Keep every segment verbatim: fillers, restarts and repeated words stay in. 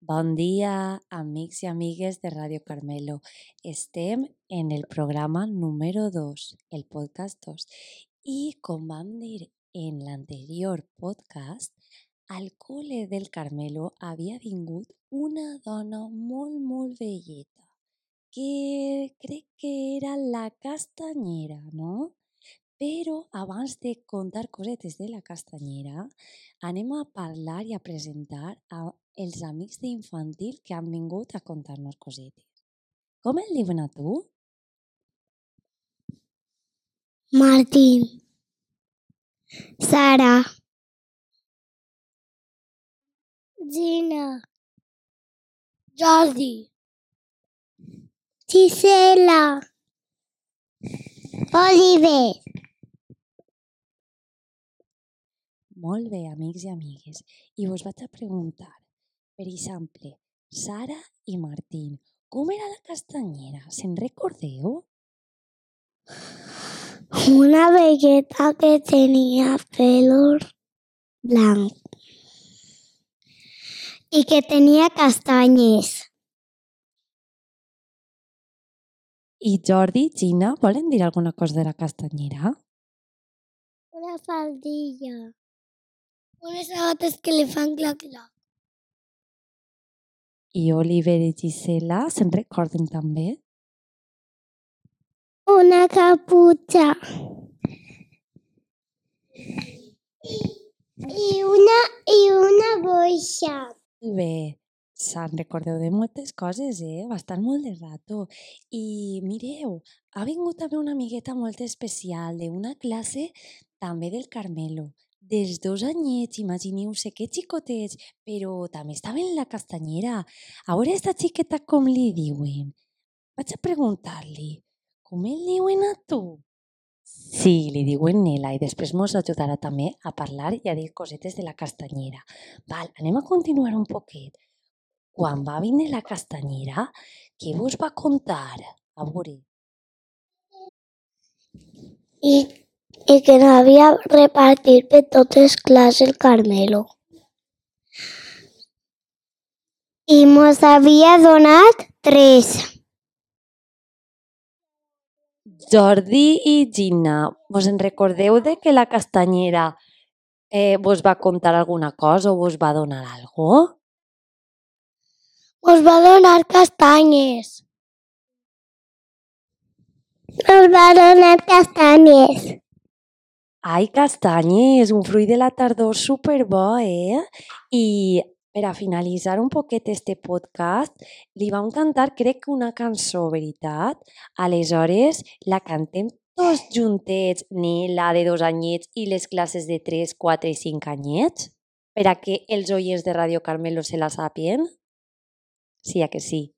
Bon dia, amics i amigues de Ràdio Carmelo. Estem en el programa número dos, el podcast dos. I com vam dir en l'anterior podcast, al col·le del Carmelo havia vingut una dona molt, molt velleta, que crec que era la Castanyera, no? Però abans de contar cosetes de la Castanyera, anem a parlar i a presentar a els amics d'infantil que han vingut a contar-nos cosetes. Com el diuen a tu? Martín, Sara, Gina, Jordi, Gisela, Oliver. Molt bé, amics i amigues. I vos vaig a preguntar, per exemple, Sara i Martín, com era la Castanyera? Se'n recordeu? Una velleta que tenía pelo blanco y que tenía castañes. I Jordi, Gina, volen dir alguna cosa de la Castanyera? Una faldilla. Unes sabates que le fan clac-clac. I Oliver i Gisela, se'n recorden també? Una capucha. I una, i una boixa. Molt bé, se'n recordeu de moltes coses, eh? Bastant molt de rato. I mireu, ha vingut també una amigueta molt especial d'una classe també del Carmelo. Dels dos anyets, imagineu-se que xicotets, però també estava en la Castanyera. A veure esta xiqueta com li diuen. Vaig a preguntar-li, com el diuen a tu? Sí, li diuen Nela i després mos ajudarà també a parlar i a dir cosetes de la Castanyera. Val, anem a continuar un poquet. Quan va vindre la Castanyera, què vos va contar? A veure. I, i que n'havia repartit per totes classes el Carmelo. I mos havia donat tres. Jordi i Gina, vos en recordeu de que la Castanyera eh, vos va contar alguna cosa o vos va donar algo? Mos va donar castanyes. Mos va donar castanyes. Ai, castanyes, un fruit de la tardor superbo, eh? I per a finalitzar un poquet este podcast, li vam cantar, crec que una cançó, veritat? Aleshores, la cantem tots juntets, Nela, de dos anyets, i les classes de tres, quatre i cinc anyets? Per a que els oients de Ràdio Carmelo se la sàpien? Sí, a que sí?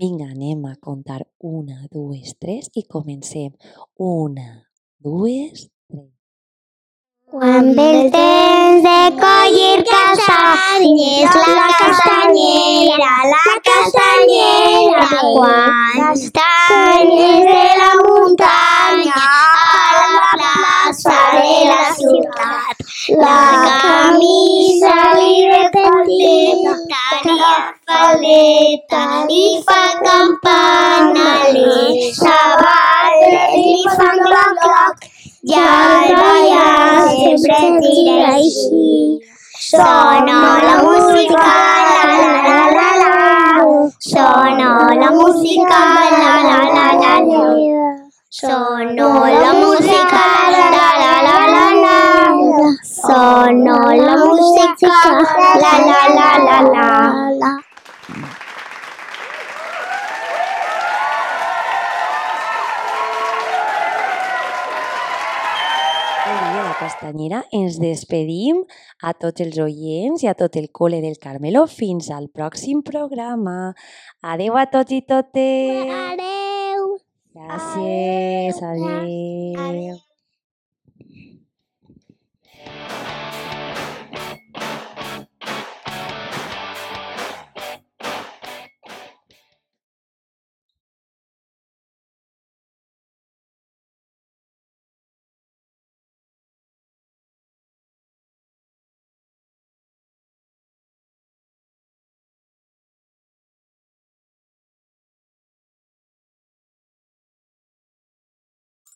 Vinga, anem a contar una, dues, tres i comencem. Una, dues, tres. Quan ve el temps de collir castanyes, la castanyera, la castanyera, quants castanyes de la muntanya a la plaça de la ciutat. La camisa li ve petita, tenia faldeta, li fa campana, les sabates li fan cloc-cloc. I al ballar sempre tira així. Sona la música, la la la la la. Sona la música, la la la la la. Sona la música, la la la la la. Sona la música, la la la la la. Castanyera, ens despedim a tots els oients i a tot el col·le del Carmelo fins al pròxim programa. Adeu a tots i totes. Adeu. Gràcies. Adeu.